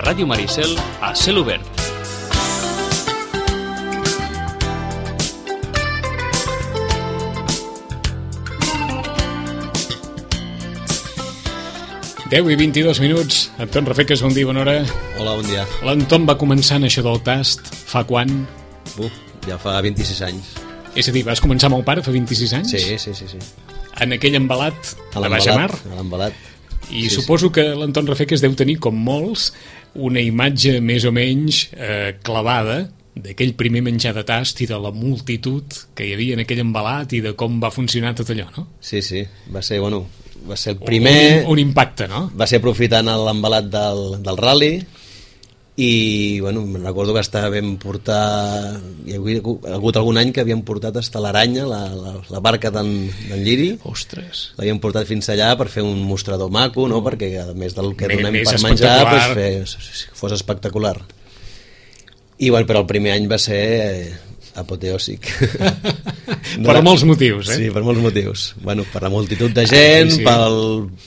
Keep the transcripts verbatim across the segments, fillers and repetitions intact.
Ràdio Maricel a cel obert. deu i vint-i-dos minuts. Anton Rafeques, bon dia, bona hora. Hola, bon dia. L'Anton va començar en això del tast fa quan? Uf, ja fa vint-i-sis anys. És a dir, vas començar amb el pare fa vint-i-sis anys? Sí, sí, sí, sí. En aquell embalat A de Baix Amar? A l'embalat. I sí, suposo sí. que l'Anton Rafeques deu tenir, com molts, una imatge més o menys eh, clavada d'aquell primer menjar de tast i de la multitud que hi havia en aquell embalat i de com va funcionar tot allò, no? Sí, sí, va ser, bueno, va ser el primer... Un, un impacte, no? Va ser aprofitant l'embalat del, del rally i, bueno, me'n recordo que estava ben portar... Hi havia hagut algun any que havien portat hasta l'Aranya, la, la, la barca d'en Lliri. Ostres! L'havien portat fins allà per fer un mostrador maco, no? Perquè a més del que M donem per menjar, pues, fer, fos espectacular. I, bueno, però el primer any va ser eh, apoteòsic. No, per molts motius, eh? Sí, per molts motius. Bueno, per la multitud de gent, ah, sí, sí. Pel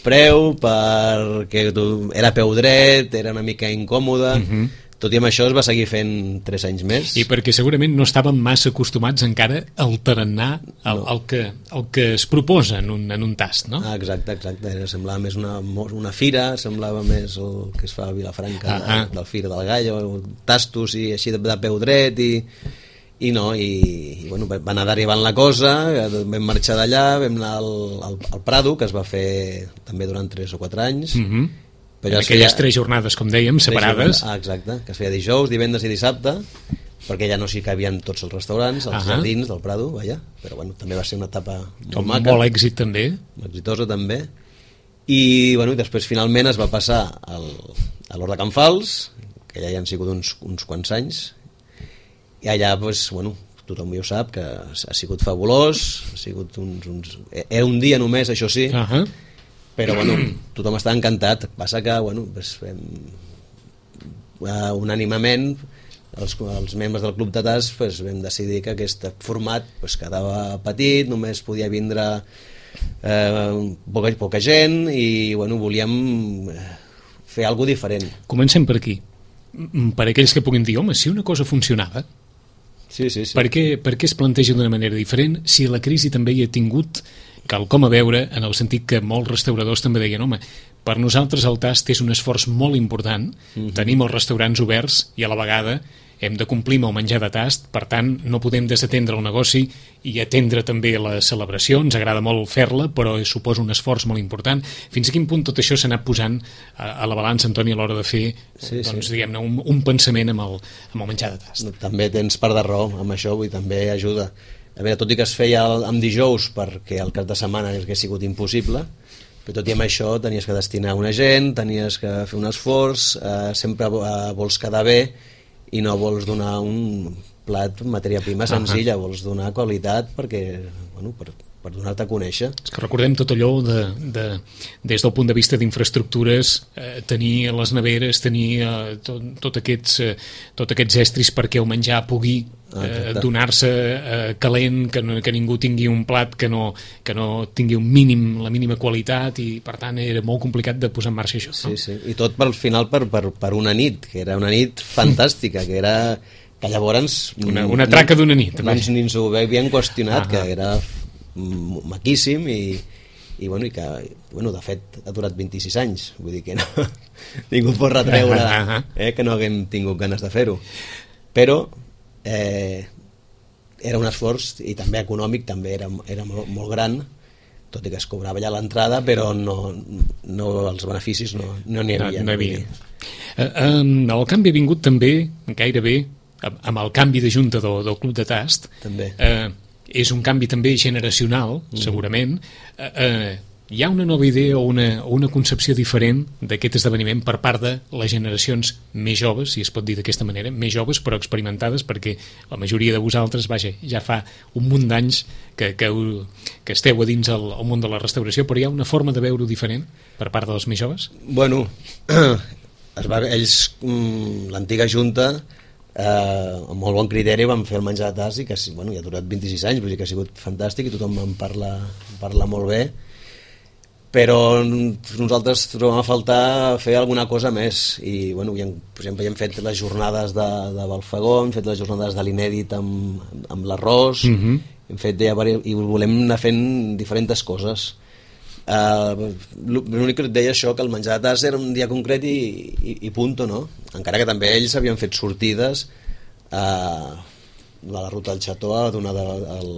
preu, perquè era peu dret, era una mica incòmode... Uh -huh. Tot i amb això es va seguir fent tres anys més. I perquè segurament no estàvem massa acostumats encara al tarannà, el, no. el, que, el que es proposa en un, en un tast, no? Ah, exacte, exacte. Era, semblava més una, una fira, semblava més el que es fa a Vilafranca, ah, ah. del Fira del Gallo, tastos i així de, de peu dret i, i no, i, i bueno, va anar derivant la cosa, vam marxar d'allà, vam anar al, al, al Prado, que es va fer també durant tres o quatre anys, mm -hmm. Però en aquelles feia... tres jornades, com dèiem, separades. Ah, exacte, que es feia dijous, divendres i dissabte, perquè ja no s'hi cabien tots els restaurants, els uh -huh. jardins del Prado, vaja, però bueno, també va ser una etapa molt Com maca. Molt èxit també. Exitosa també. I bueno, després finalment es va passar al, a l'Hort de Can Fals, que ja hi han sigut uns, uns quants anys, i allà, pues, bueno, tothom ja ho sap, que ha sigut fabulós, ha sigut uns... uns... Era un dia només, això sí, uh -huh. però bueno, tothom està encantat. Passa que bueno, pues, fem, uh, unànimament els, els membres del Club de Tast pues, vam decidir que aquest format pues, quedava petit, només podia vindre eh, poca, poca gent i bueno, volíem fer alguna cosa diferent. Comencem per aquí. Per aquells que puguin dir, home, si una cosa funcionava, sí, sí, sí. Per què, per què es planteja d'una manera diferent si la crisi també hi ha tingut quelcom a veure, en el sentit que molts restauradors també deien, home, per nosaltres el tast és un esforç molt important, mm-hmm. tenim els restaurants oberts i a la vegada hem de complir amb el menjar de tast, per tant no podem desatendre el negoci i atendre també les celebracions, ens agrada molt fer-la, però suposa un esforç molt important. Fins a quin punt tot això s'ha anat posant a, a la balança, Antoni, a l'hora de fer sí, doncs, sí. diguem-ne, un, un pensament amb el, amb el menjar de tast? També tens part de raó amb això, vull dir, també ajuda. A veure, tot i que es feia amb dijous perquè el cap de setmana hagués sigut impossible, però tot i amb això tenies que destinar una gent, tenies que fer un esforç, eh, sempre eh, vols quedar bé i no vols donar un plat, matèria prima senzilla, uh -huh. vols donar qualitat perquè, bueno, per, per donar-te a conèixer. És que recordem tot allò de, de, des del punt de vista d'infraestructures, eh, tenir les neveres, tenir eh, tot, tot, aquests, eh, tot aquests estris perquè el menjar pugui eh, donar-se eh, calent, que, no, que ningú tingui un plat que no, que no tingui un mínim, la mínima qualitat, i per tant era molt complicat de posar en marxa això. Sí, no? sí, i tot per final per, per, per una nit, que era una nit fantàstica, que era que llavors... Una, una traca d'una nit. No, ni ens ho havien qüestionat, ah, que era maquíssim i, i, bueno, i que, bueno, de fet ha durat vint-i-sis anys, vull dir que no, ningú pot retreure eh, que no haguem tingut ganes de fer-ho, però eh, era un esforç i també econòmic, també era, era molt, molt gran, tot i que es cobrava ja l'entrada, però no, no, els beneficis no no n'hi havia. No, no hi havia. Uh, el canvi ha vingut també gairebé amb el canvi de junta del, del Club de Tast. També. Uh, és un canvi també generacional, mm. segurament. Uh, uh, hi ha una nova idea o una, o una concepció diferent d'aquest esdeveniment per part de les generacions més joves, si es pot dir d'aquesta manera, més joves però experimentades, perquè la majoria de vosaltres, vaja, ja fa un munt d'anys que, que, que esteu a dins el, el món de la restauració, però hi ha una forma de veure-ho diferent per part dels més joves? Bueno, es va, ells, l'antiga junta, eh, amb molt bon criteri vam fer el menjar de tast i que bueno, ja ha durat vint-i-sis anys, vull dir que ha sigut fantàstic i tothom en parla, en parla molt bé. però nosaltres trobem a faltar fer alguna cosa més i, bueno, ja, per exemple, ja hem fet les jornades de, de Balfagó, hem fet les jornades de l'Inèdit amb, amb l'arròs, mm-hmm. hem fet ja, i volem anar fent diferents coses. Uh, l'únic que et deia això, que el menjar de tas era un dia concret i, i, i punto, no? Encara que també ells havien fet sortides uh, a la ruta del Xató a donar de, el,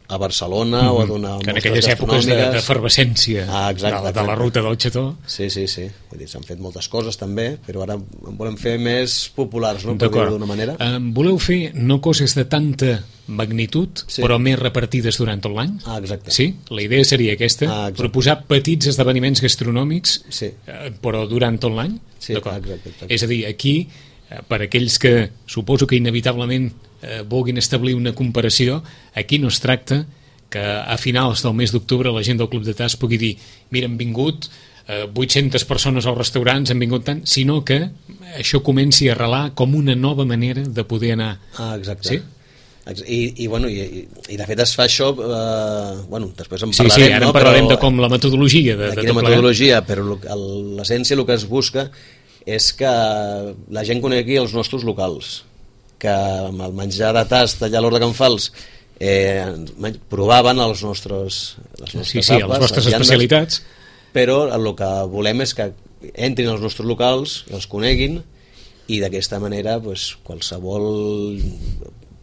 a Barcelona mm-hmm. o a donar que en aquelles èpoques d'efervescència ah, de, de la ruta del Xató. Sí, sí, sí, vull dir, s'han fet moltes coses també, però ara en volem fer més populars, no? Per dir-ho d'una manera. Um, voleu fer no coses de tanta magnitud, sí. però més repartides durant tot l'any? Ah, exacte. Sí? La idea seria aquesta, ah, proposar petits esdeveniments gastronòmics, sí. eh, però durant tot l'any? Sí, exacte, exacte. És a dir, aquí, eh, per aquells que suposo que inevitablement eh, vulguin establir una comparació, aquí no es tracta que a finals del mes d'octubre la gent del Club de Tas pugui dir, mira, han vingut eh, vuit-centes persones als restaurants, han vingut tant, sinó que això comenci a arrelar com una nova manera de poder anar. Ah, exacte. Sí? I, i, bueno, i, i de fet es fa això eh, bueno, després en sí, parlarem, sí, ara no? en parlarem però, de com la metodologia de, de de quina tot metodologia, però l'essència, el que es busca és que la gent conegui els nostres locals, que amb el menjar de tast allà a l'Hort de Can Fals eh, provaven els nostres, les nostres sí, sí, apes, les vostres les viandes, especialitats, però el que volem és que entrin als nostres locals, els coneguin i d'aquesta manera pues, qualsevol...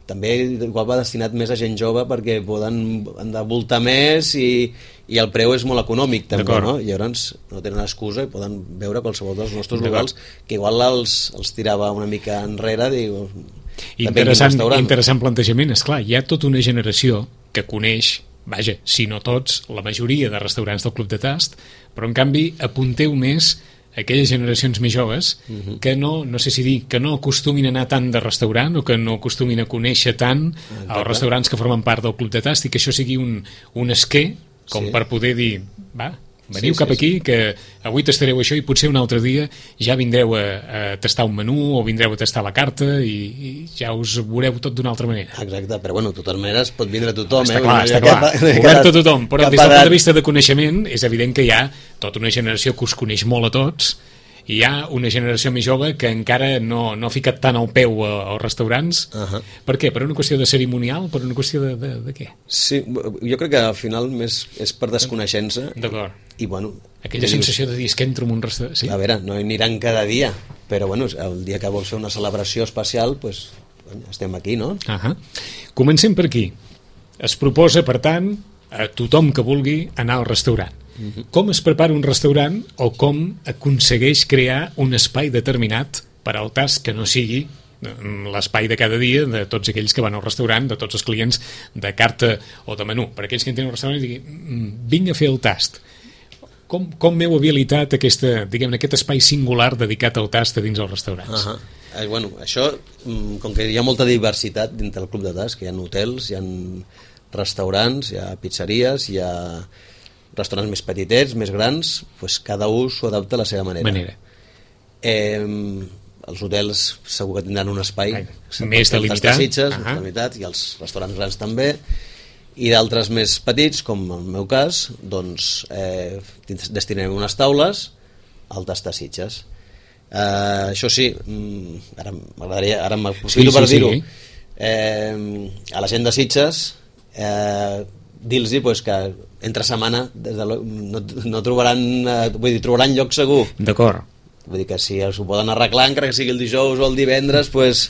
també igual va destinat més a gent jove perquè poden han de voltar més i, i el preu és molt econòmic també, no? I llavors no tenen excusa i poden veure qualsevol dels nostres locals que igual els, els tirava una mica enrere, diu, interessant, interessant plantejament. Esclar, hi ha tota una generació que coneix, vaja, si no tots, la majoria de restaurants del Club de Tast, però en canvi apunteu més aquelles generacions més joves uh-huh. que no, no sé si dir, que no acostumin a anar tant de restaurant o que no acostumin a conèixer tant Exacte. Els restaurants que formen part del Club de Tast i que això sigui un, un esquer com sí. per poder dir, va, veniu sí, cap sí, aquí sí. que avui tastareu això i potser un altre dia ja vindreu a, a tastar un menú o vindreu a tastar la carta i, i ja us veureu tot d'una altra manera. Exacte, però bueno, de totes maneres pot vindre tothom. Està eh? clar, està clar, obert a tothom, però des del punt de vista de coneixement és evident que hi ha tota una generació que us coneix molt a tots i hi ha una generació més jove que encara no, no ha ficat tant el peu als restaurants. Uh-huh. Per què? Per una qüestió de cerimonial? Per una qüestió de, de, de què? Sí, jo crec que al final més és per desconeixença. D'acord. I bueno... Aquella sensació de dir, és que entro en un restaurant... Sí? A veure, no aniran cada dia, però bueno, el dia que vols fer una celebració especial, pues, bueno, estem aquí, no? Uh-huh. Comencem per aquí. Es proposa, per tant, a tothom que vulgui anar al restaurant. Uh-huh. Com es prepara un restaurant o com aconsegueix crear un espai determinat per al tast que no sigui l'espai de cada dia de tots aquells que van al restaurant, de tots els clients de carta o de menú. Per aquells que entren al restaurant i diguin, vinc a fer el tast. Com, com m'heu habilitat aquesta, diguem, aquest espai singular dedicat al tast a dins dels restaurants? Uh-huh. eh, bueno, això, com que hi ha molta diversitat dintre del Club de Tast, que hi ha hotels, hi ha restaurants, hi ha pizzeries, hi ha restaurants més petitets, més grans, doncs cada un s'ho adapta a la seva manera. manera. Eh, els hotels segur que tindran un espai Ai, més delimitat, Sitges, uh-huh. delimitat, i els restaurants grans també, i d'altres més petits, com en el meu cas, doncs eh, destinem unes taules al tastar Sitges. Eh, això sí, ara m'agradaria, ara m'aprofito sí, per sí, dir-ho, sí. eh, a la gent de Sitges eh, dir-los pues, que entre setmana des de lo, no, no trobaran, eh, vull dir, trobaran lloc segur. D'acord. Vull dir que si s'ho poden arreglar, encara que sigui el dijous o el divendres, pues,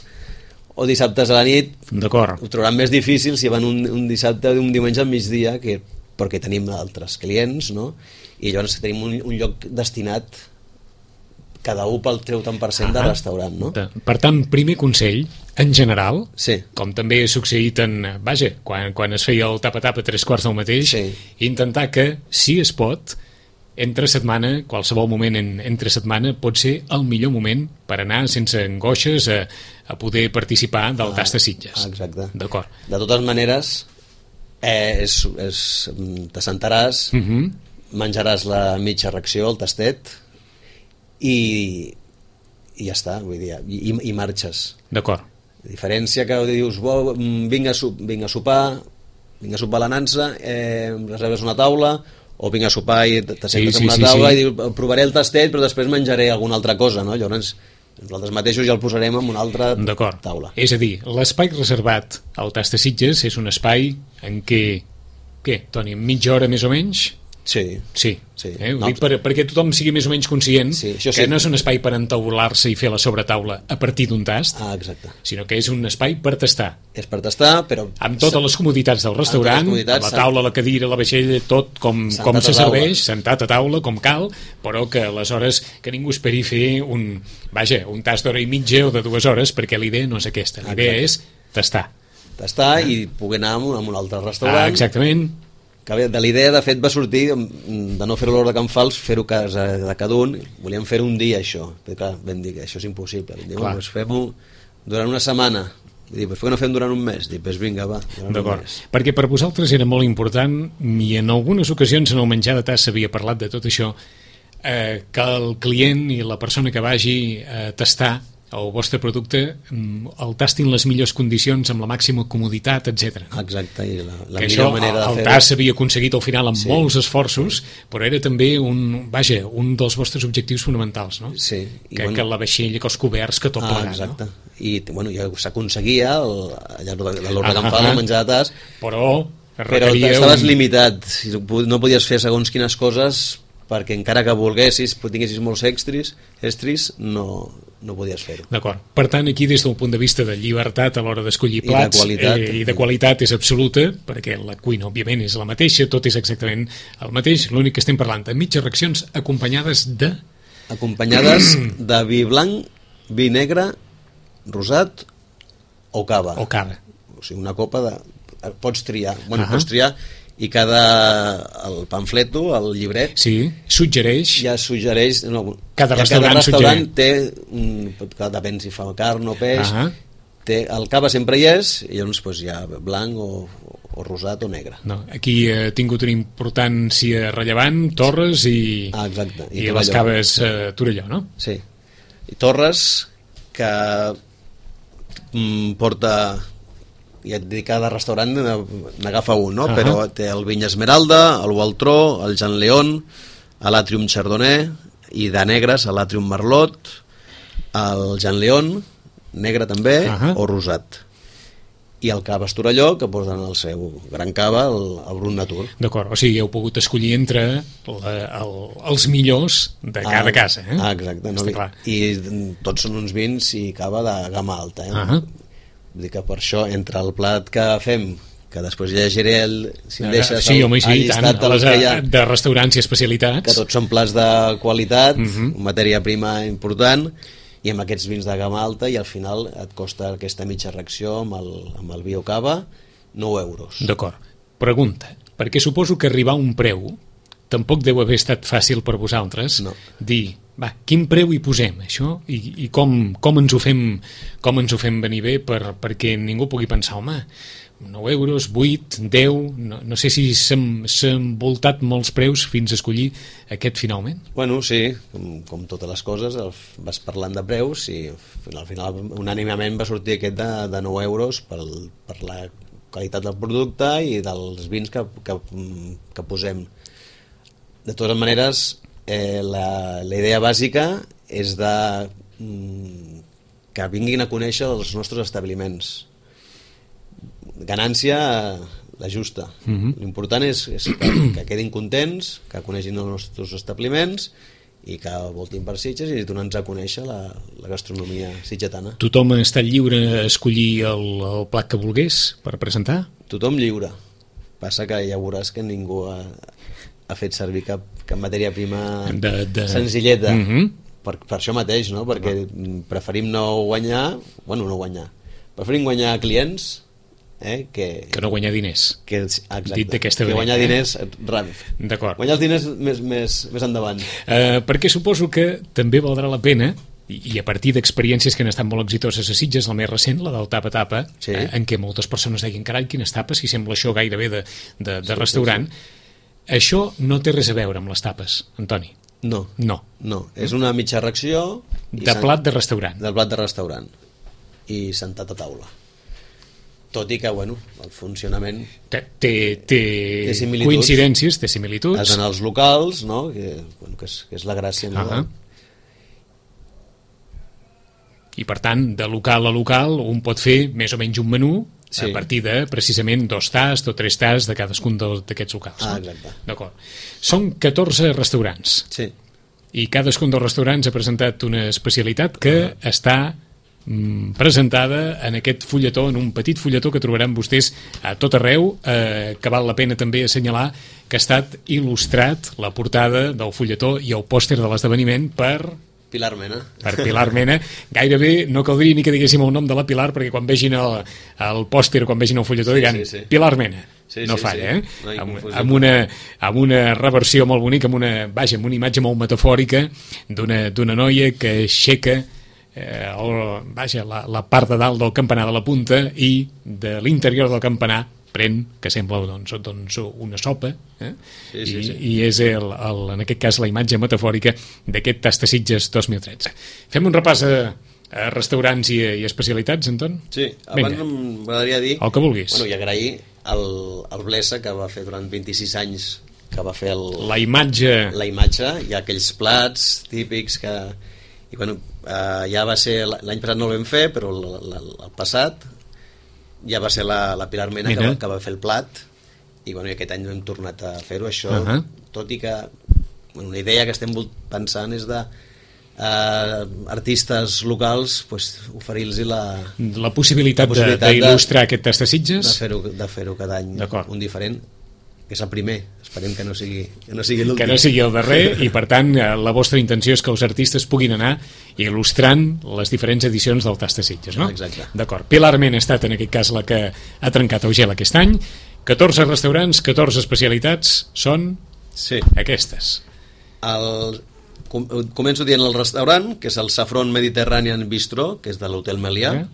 o dissabtes a la nit, d'acord, ho trobaran més difícil si van un, un dissabte o un diumenge al migdia, que, perquè tenim altres clients, no? I llavors tenim un, un lloc destinat cada un pel treu tant per cent de restaurant, no? Per tant, primer consell, en general, sí. com també ha succeït en, vaja, quan, quan es feia el tapa-tapa a tres quarts del mateix, sí. intentar que, si es pot, entre setmana, qualsevol moment en, entre setmana, pot ser el millor moment per anar sense angoixes a, a poder participar del ah, tast de Sitges. Exacte. D'acord. De totes maneres, eh, és, és, t'assentaràs, uh-huh. menjaràs la mitja ració, el tastet, i, i ja està, vull dir, i, i marxes. D'acord. La diferència que dius, bo, vinc, a, vinc a sopar, vinc a sopar a la nansa, eh, reserves una taula, o vinc a sopar i t'assentes Sí, sí, en una sí, taula sí. i diu, provaré el tastet però després menjaré alguna altra cosa, no? Llavors nosaltres mateixos ja el posarem en una altra D'acord. taula. És a dir, l'espai reservat al Tast de Sitges és un espai en què, què, Toni, mitja hora més o menys? Sí. Sí, Sí. Eh? Ho No, dic per, perquè tothom sigui més o menys conscient Sí, això que sí. no és un espai per entaular-se i fer la sobretaula a partir d'un tast, Ah, exacte. sinó que és un espai per tastar, És per tastar, però... amb totes les comoditats del restaurant, Amb totes les comoditats, la taula, la cadira, la vaixella, tot com, Sentat com a se taula. serveix, sentat a taula, com cal, però que aleshores que ningú esperi fer un, vaja, un tast d'hora i mitja o de dues hores, perquè la idea no és aquesta, la idea és tastar. tastar i poder anar a un, a un altre restaurant. Ah, exactament. Que bé, de l'idea, de fet, va sortir mm, de no fer-ho a l'hora de Can Fals, fer-ho a casa de cada un. Volíem fer-ho un dia, això. Però, clar, vam dir que això és impossible. Vam dir, Clar. bueno, doncs fem-ho durant una setmana. Vull dir, doncs per què no fem durant un mes? Dic, doncs vinga, va, durant un D'acord, mes. perquè per vosaltres era molt important i en algunes ocasions en el menjar de tas s'havia parlat de tot això, eh, que el client i la persona que vagi a tastar el vostre producte mm, el tastin les millors condicions amb la màxima comoditat, etcètera. Exacte, i la, la Que millor això manera de el fer-ho. tas s'havia aconseguit al final amb Sí. molts esforços, però era també un, vaja, un dels vostres objectius fonamentals, no? Sí, i que, bueno- que la vaixella, que els coberts, que tot Ah, plegat, exacte. no? I bueno, ja s'aconseguia al- allà a l'hora de Ah, Can Fals, ah. el menjar de tas, Però però requeria estaves un... limitat, no podies fer segons quines coses perquè encara que volguessis, tinguessis molts extris, estris, no, no podies fer-ho. D'acord. Per tant, aquí des del punt de vista de llibertat a l'hora d'escollir I de plats qualitat. eh, i de qualitat és absoluta, perquè la cuina, òbviament, és la mateixa, tot és exactament el mateix, l'únic que estem parlant de mitges racions acompanyades de... Acompanyades de vi blanc, vi negre, rosat o cava. o cava. O sigui, una copa de... Pots triar, bueno, Ahà. pots triar i cada... el pamfleto, el llibret, Sí, suggereix... ja suggereix... No, Cada ja restaurant restaurant té... Un, que depèn si fa carn o peix, Ahà. té, el cava sempre hi és, i llavors pues, hi ha blanc o, o rosat o negre. No, aquí ha tingut una importància rellevant, Torres i, Ah, exacte. i, I les Torelló. caves eh, Torelló, no? Sí. I Torres, que mm, porta... Ja et dic, cada restaurant n'agafa un, no? Ahà. Però té el Vinya Esmeralda, el Gualtró, el Jean León, l'Atrium Chardonnay, i de negres, l'Atrium Merlot, el Jean León, negre també, Ahà. o rosat. I el cava Estorelló, que posen el seu gran cava, el, el Brut Natur. D'acord, o sigui, heu pogut escollir entre la, el, els millors de cada Ah, casa, eh? Ah, exacte. No? Està clar. I mm, tots són uns vins i cava de gamma alta. Eh? Ahà. Vull dir que per això, entre el plat que fem, que després llegiré el, si em deixes sí, el, home, sí, el i tant, llistat del les, que hi ha, de restaurants i especialitats. que tots són plats de qualitat, Mhm. matèria prima important, i amb aquests vins de gamma alta, i al final et costa aquesta mitja reacció amb el, amb el vi o cava nou euros. D'acord. Pregunta, perquè suposo que arribar a un preu tampoc deu haver estat fàcil per vosaltres No. dir, va, quin preu hi posem, això? I, i com, com, ens ho fem, com ens ho fem venir bé per, perquè ningú pugui pensar, home, nou euros, vuit, deu, no, no sé si s'han s'han voltat molts preus fins a escollir aquest finalment. Bueno, sí, com, com totes les coses, el, vas parlant de preus i al final unànimament va sortir aquest de, de nou euros pel, per la qualitat del producte i dels vins que, que, que posem. De totes maneres, eh, la, la idea bàsica és de mm, que vinguin a conèixer els nostres establiments. Ganància la justa. Mhm. L'important és, és que, que quedin contents, que coneixin els nostres establiments i que voltin per Sitges i donant-nos a conèixer la, la gastronomia sitgetana. Tothom ha estat lliure a escollir el, el plat que volgués per presentar? Tothom lliure. Passa que ja veuràs que ningú ha, ha fet servir cap, cap matèria prima De- de- senzilleta. Mhm. per, per això mateix, no? Perquè preferim no guanyar, bueno, no guanyar, preferim guanyar clients eh, que, Que no guanyar diners. que, exacte, Dit d'aquesta que manera, guanyar eh? diners ràpid. D'acord. Guanyar els diners més, més, més endavant. Eh, perquè suposo que també valdrà la pena, i, i a partir d'experiències que han estat molt exitoses a Sitges, la més recent, la del tapa-tapa, Sí. eh, en què moltes persones deien, carai, quines tapes, si sembla això gairebé de, de, de Sí, restaurant. Això no té res a veure amb les tapes, Antoni. No, No. no, és una mitja ració i De sen- plat de restaurant. del plat de restaurant i sentat a taula. tot i que, bueno, el funcionament té, té, té, té coincidències, té similituds. Has d'anar als locals, no? Que, bueno, que, és, que és la gràcia. No? Uh -huh. I per tant, de local a local un pot fer més o menys un menú sí. a partir de precisament dos tasts o tres tasts de cadascun d'aquests locals. Ah, no? exacte. D'acord. Són catorze restaurants. Sí. I cadascun dels restaurants ha presentat una especialitat que uh -huh. està mm, presentada en aquest fulletó, en un petit fulletó que trobaran vostès a tot arreu, eh, que val la pena també assenyalar que ha estat il·lustrat la portada del fulletó i el pòster de l'esdeveniment per... Pilar Mena. Per Pilar Mena. Gairebé no caldria ni que diguéssim el nom de la Pilar, perquè quan vegin el, el pòster, quan vegin el fulletó, sí, diran sí, sí. Pilar Mena. Sí, no sí, falla, sí. eh? No amb, amb, una, amb una reversió molt bonica, amb una, vaja, amb una imatge molt metafòrica d'una d'una noia que aixeca eh, el, vaja, la, la part de dalt del campanar de la punta i de l'interior del campanar pren, que sembla doncs, doncs una sopa, eh? sí, sí, I, sí. i és el, el, en aquest cas la imatge metafòrica d'aquest Tastasitges dos mil tretze. Fem un repàs a, a restaurants i, i especialitats, Anton? Sí, abans m'agradaria dir... El que vulguis. Bueno, i agrair el, el Blesa, que va fer durant vint-i-sis anys, que va fer el, la imatge... La imatge, i aquells plats típics que... I bueno, eh, ja va ser... L'any passat no el vam fer, però el, el, el passat... ja va ser la, la Pilar Mena, Mena. Que, va, que va fer el plat i, bueno, i aquest any hem tornat a fer-ho això, uh -huh. tot i que bueno, una idea que estem pensant és de eh, artistes locals pues, oferir-los la, la possibilitat, la possibilitat d'il·lustrar aquest Tastasitges, de fer-ho de fer-ho cada any un diferent, que és el primer, esperem que no sigui, que no sigui l'últim. Que no sigui el darrer, i per tant la vostra intenció és que els artistes puguin anar il·lustrant les diferents edicions del Tastasitges, no? Exacte. D'acord. Pilar Mena ha estat en aquest cas la que ha trencat el gel aquest any. catorze restaurants, catorze especialitats, són sí. aquestes. El, com, començo dient el restaurant, que és el Saffron Mediterranean Bistro, que és de l'Hotel Melià, eh?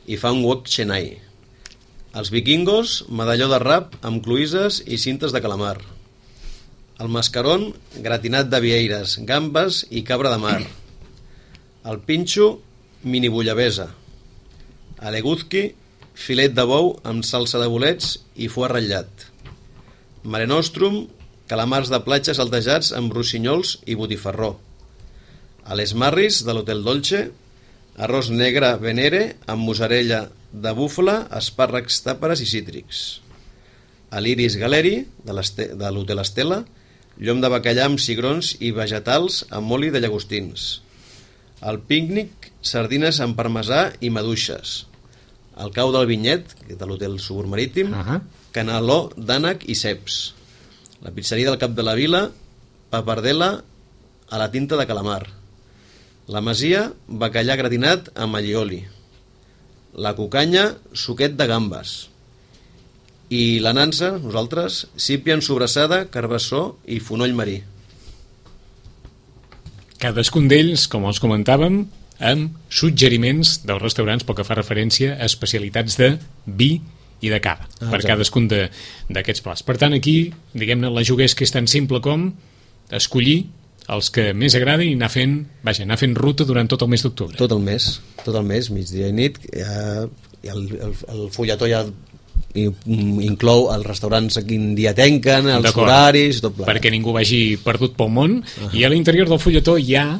I fa un wok Chennai. Els vikingos, medalló de rap amb cloïsses i cintes de calamar. El mascarón, gratinat de vieires, gambes i cabra de mar. El pinxo, mini bullabesa. A l'eguzki, filet de bou amb salsa de bolets i foie ratllat. Mare Nostrum, calamars de platja saltejats amb rossinyols i botifarró. A les Marris, de l'Hotel Dolce, arròs negre venere amb mozzarella de búfala, espàrrecs, tàperes i cítrics. A l'Iris Galeri, de l'Hotel Estela, llom de bacallà amb cigrons i vegetals amb oli de llagostins. Al pícnic, sardines amb parmesà i maduixes. Al cau del Vinyet, que és de l'Hotel Subur Marítim, uh -huh. caneló d'ànec i ceps. La pizzeria del Cap de la Vila, papardela a la tinta de calamar. La Masia, bacallà gratinat amb allioli. La Cucanya, suquet de gambes. I la Nansa, nosaltres, sípia en sobrassada, carbassó i fonoll marí. Cadascun d'ells, com els comentàvem, amb suggeriments dels restaurants pel que fa referència a especialitats de vi i de cava, ah, per cadascun d'aquests plats. Per tant, aquí, diguem-ne, la jugués que és tan simple com escollir els que més agraden i anar fent, vaja, anar fent ruta durant tot el mes d'octubre. Tot el mes, tot el mes, migdia i nit. Ja, el, el, el fulletó ja inclou els restaurants a quin dia tanquen, els horaris, tot plegat. Perquè ningú vagi perdut pel món. Uh-huh. I a l'interior del fulletó hi ha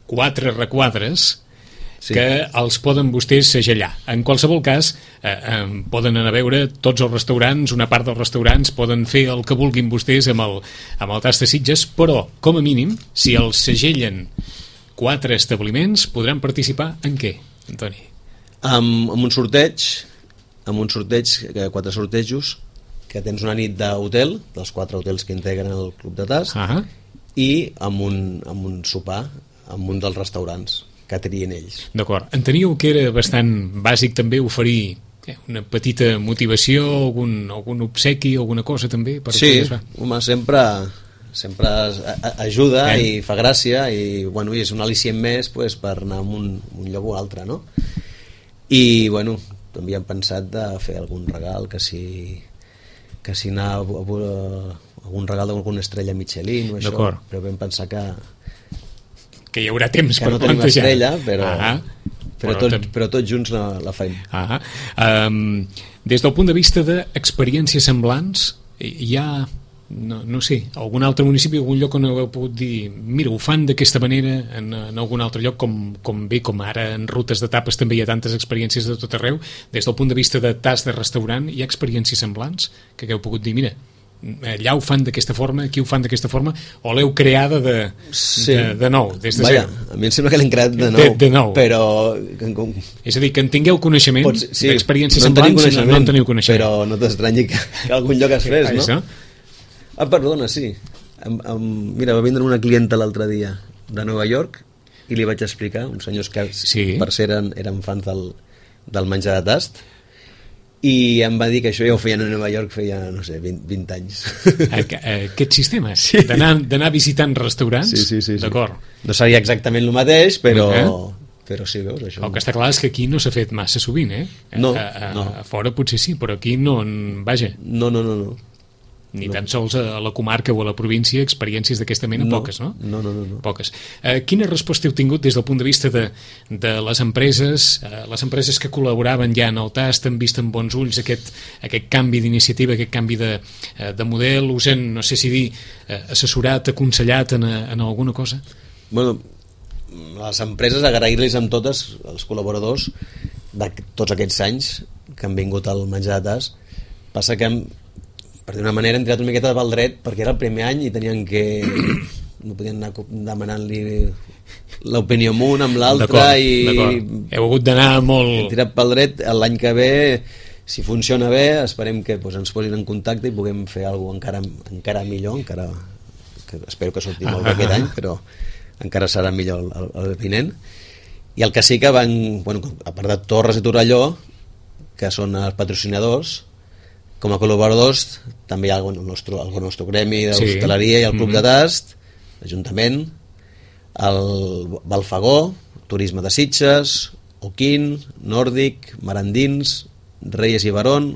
quatre requadres sí. que els poden vostès segellar. En qualsevol cas, eh, eh, poden anar a veure tots els restaurants, una part dels restaurants, poden fer el que vulguin vostès amb el, amb el Tastasitges, però, com a mínim, si els segellen quatre establiments, podran participar en què, Antoni? Amb, amb un sorteig, amb un sorteig, quatre sortejos, que tens una nit d'hotel, dels quatre hotels que integren el Club de Tast, uh-huh. i amb un, amb un sopar amb un dels restaurants que trien ells. D'acord. Enteníeu que era bastant bàsic també oferir eh, una petita motivació, algun, algun obsequi, alguna cosa també? Per sí, home, sempre, sempre ajuda eh? i fa gràcia i, bueno, i és un al·licient més pues, per anar a un, un lloc o altre, no? I, bueno, també hem pensat de fer algun regal, que si, que si anar a, a, a algun regal d'alguna estrella Michelin o això, però vam pensar que que hi haurà temps que per no plantejar. Estrella, però, ah, però, però, tot, però tots junts la, la feim. Ah, um, des del punt de vista d'experiències semblants, hi ha, no, no sé, algun altre municipi, algun lloc on heu pogut dir, mira, ho fan d'aquesta manera en, en algun altre lloc, com, com bé, com ara en rutes d'etapes també hi ha tantes experiències de tot arreu, des del punt de vista de tas de restaurant, hi ha experiències semblants que hagueu pogut dir, mira, allà ho fan d'aquesta forma, aquí ho fan d'aquesta forma, o l'heu creada de, sí. de, de nou, des de Vaja, zero? a mi em sembla que l'hem creat de nou, de, de nou. Però... És a dir, que en tingueu coneixement Pots, sí, d'experiències no semblants, no, no en teniu coneixement. Però no t'estranyi que, que algun lloc es fes, no? Això? Ah, perdona, sí. Am, am, mira, va vindre una clienta l'altre dia de Nova York i li vaig explicar, uns senyors que sí. per ser eren, eren fans del, del menjar de tast, i em va dir que això ja ho feien a Nova York feia, no sé, vint, vint anys. Aquest sistema, sí. d'anar visitant restaurants, sí, sí, sí, sí. D'acord. No seria exactament el mateix, però, eh? però sí, veus, això. El que està clar és que aquí no s'ha fet massa sovint, eh? No, a, a, no. A fora potser sí, però aquí no, vaja. No, no, no, no. Ni no. tan sols a la comarca o a la província experiències d'aquesta mena, no. poques, no? No, no, no, no. Poques. Eh, quina resposta heu tingut des del punt de vista de, de les empreses, eh, les empreses que col·laboraven ja en el tast, han vist amb bons ulls aquest, aquest canvi d'iniciativa, aquest canvi de, eh, de model, us han, no sé si dir, eh, assessorat, aconsellat en, en alguna cosa? Bueno, les empreses, agrair-los amb totes, els col·laboradors de tots aquests anys que han vingut al menjar de tast. Passa que hem, per d'una manera hem tirat una miqueta pel dret perquè era el primer any i tenien que no podien anar demanant-li l'opinió amb un, amb l'altre i heu hagut d'anar molt... hem tirat pel dret. L'any que ve, si funciona bé, esperem que doncs, ens posin en contacte i puguem fer alguna cosa encara, encara millor, encara que espero que surti molt bé aquest any, però encara serà millor el, el vinent. I el que sí que van, bueno, a part de Torres i Torelló, que són els patrocinadors, com a col·laboradors també hi ha el nostre, el nostre gremi d'hostaleria sí. i el club mm-hmm. de tast, l'Ajuntament, el Balfagó, Turisme de Sitges, Oquín, Nòrdic, Marandins, Reyes i Barón,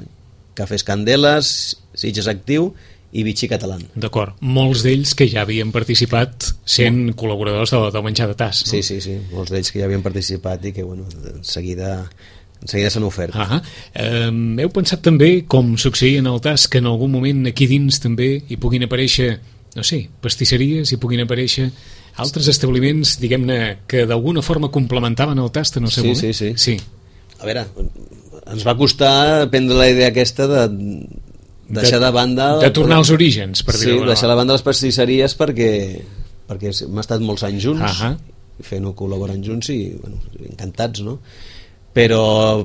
Cafès Candeles, Sitges Actiu i Vichy Català. D'acord, molts d'ells que ja havien participat sent sí. col·laboradors del, del menjar de tast, no? Sí, sí, sí, molts d'ells que ja havien participat i que, bueno, en seguida... en seguida s'han ofert. Ah, eh, heu pensat també, com succeïa en el tast, que en algun moment aquí dins també hi puguin aparèixer, no sé, pastisseries, hi puguin aparèixer altres establiments, diguem-ne, que d'alguna forma complementaven el tast en el seu sí, moment? Sí, sí, sí. A veure, ens va costar prendre la idea aquesta de deixar de, de banda... De tornar als orígens, per dir-ho. Sí, deixar de banda les pastisseries perquè, perquè hem estat molts anys junts, ah fent-ho col·laborant junts i, bueno, encantats, no? Però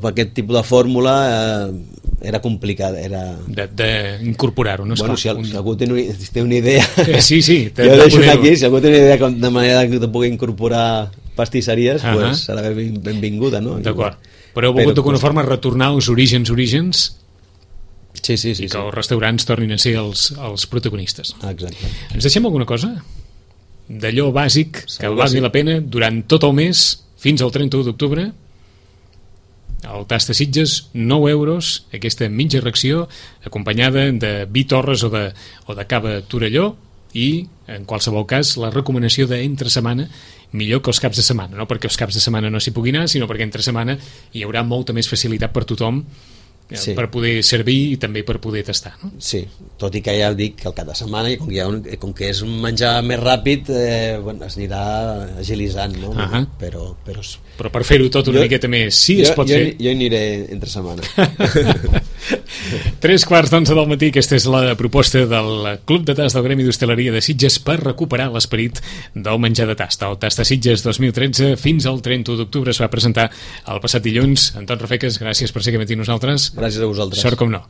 aquest tipus de fórmula eh, era complicada, era... d'incorporar-ho, no? Bueno, si, un... si algú té una, té una idea sí, sí, jo deixo aquí, si algú té una idea de manera que pugui incorporar pastisseries, uh -huh. pues, serà ben, benvinguda, no? D'acord, però heu volgut d'alguna forma retornar als orígens orígens sí, sí, sí, i que sí. els restaurants tornin a ser els, els protagonistes. Ah, exacte. Ens deixem alguna cosa? D'allò bàsic que Segur valgui sí. la pena durant tot el mes fins al trenta-u d'octubre. El tast de Sitges, nou euros, aquesta mitja ració, acompanyada de vi Torres o de, o de cava Torelló, i, en qualsevol cas, la recomanació d'entre setmana, millor que els caps de setmana, no perquè els caps de setmana no s'hi pugui anar, sinó perquè entre setmana hi haurà molta més facilitat per tothom sí. per poder servir i també per poder tastar, no? Sí, tot i que ja dic que el cap de setmana, i com que, ha un, com que és un menjar més ràpid, eh, bueno, es anirà agilitzant, no? Uh -huh. però, però... però per fer-ho tot una jo, miqueta més, sí jo, es pot jo, fer. Jo hi aniré entre setmana. Tres quarts d'onze del matí, aquesta és la proposta del Club de Tast del Gremi d'Hostaleria de Sitges per recuperar l'esperit del menjar de tast. El Tast de Sitges dos mil tretze fins al trenta-u d'octubre es va presentar el passat dilluns. Anton Rafeques, gràcies per ser aquí amb nosaltres. Gràcies a vosaltres. Sort com no.